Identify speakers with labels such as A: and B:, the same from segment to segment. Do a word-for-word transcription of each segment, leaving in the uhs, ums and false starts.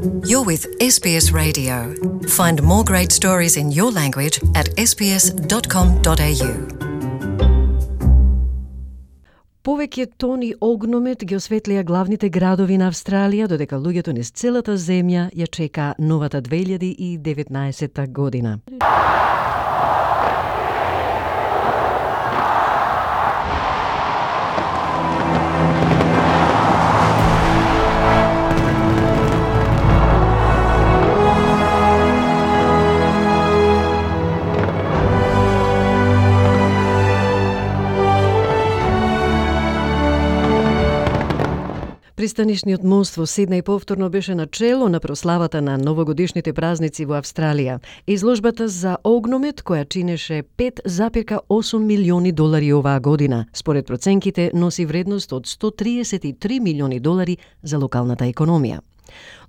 A: You're with S B S Radio. Find more great stories in your language at s b s dot com dot a u.
B: Повеќе тони огномет ги осветлија главните градови на Австралија, додека луѓето низ целата земја ја чека новата две илјади и деветнаесетта година. Пристанишниот мост во Сиднеј повторно беше начело на прославата на новогодишните празници во Австралија. Изложбата за огномет, која чинеше пет запирка осум милиони долари оваа година, според проценките носи вредност од сто триесет и три милиони долари за локалната економија.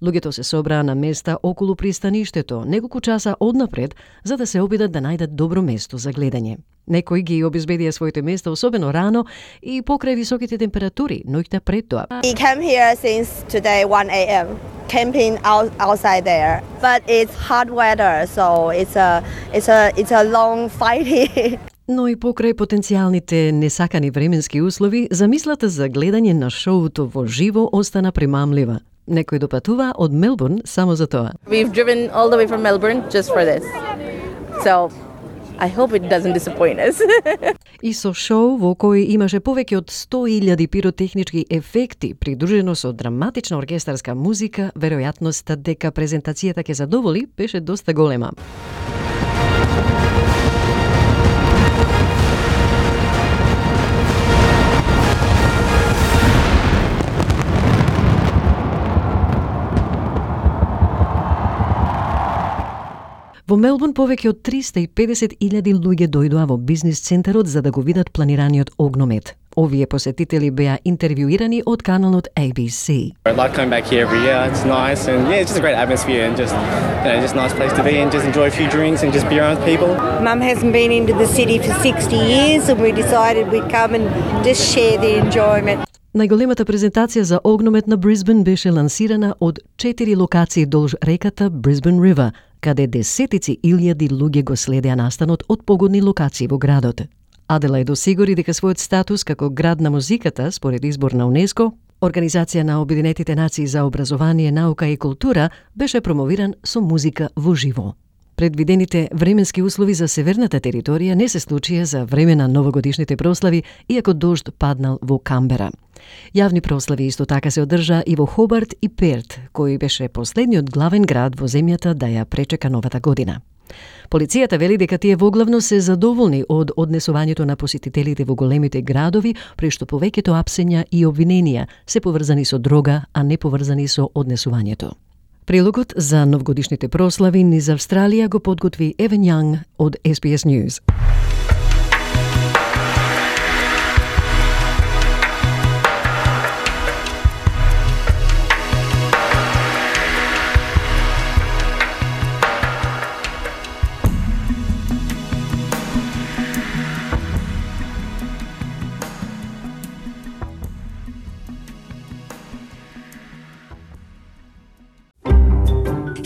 B: Луѓето се собраа на места околу пристаништето неколку часа однапред, за да се обидат да најдат добро место за гледање. Некои ги обезбедија своите места особено рано и покрај високите температури ноќта пред тоа.
C: We came here since today one a m camping out, outside there, but it's hot weather, so it's a it's a it's a long fighting.
B: Но и покрај потенцијалните несакани временски услови, замислата за гледање на шоуто во живо остана примамлива. Некои допатува од Мелбурн само за тоа.
D: We've driven all the way from Melbourne just for this. So I hope it doesn't disappoint us.
B: И со шоу во кој имаше повеќе од сто илјади пиротехнички ефекти, придружено со драматична оркестарска музика, веројатноста дека презентацијата ќе задоволи беше доста голема. Во Мелбурн повеќе од триста и педесет илјади луѓе дојдоа во бизнис центарот за да го видат планираниот огномет. Овие посетители беа интервјуирани од каналот A B C.
E: I like coming back here every year. It's nice and yeah, it's just a great atmosphere and just you know, just a nice place to be and just enjoy a few drinks and just be around people.
C: Mum hasn't been into the city for sixty years and we decided we'd come and just share the enjoyment.
B: Најголемата презентација за огномет на Брисбен беше лансирана од четири локации долж реката Brisbane River, каде десетици илјади луѓе го следеа настанот од погодни локации во градот. Аделаид осигури дека својот статус како град на музиката, според избор на УНЕСКО, Организација на Обединетите нации за образование, наука и култура, беше промовиран со музика во живо. Предвидените временски услови за северната територија не се случија за време на новогодишните прослави, иако дожд паднал во Камбера. Јавни прослави исто така се одржа и во Хобарт и Перт, кој беше последниот главен град во земјата да ја пречека новата година. Полицијата вели дека тие воглавно се задоволни од однесувањето на посетителите во големите градови, при што повеќето апсења и обвиненија се поврзани со дрога, а не поврзани со однесувањето. Прилогот за новогодишните прослави низ Австралија го подготви Евен Јанг од S B S News.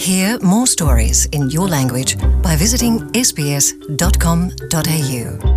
A: Hear more stories in your language by visiting s b s dot com dot a u.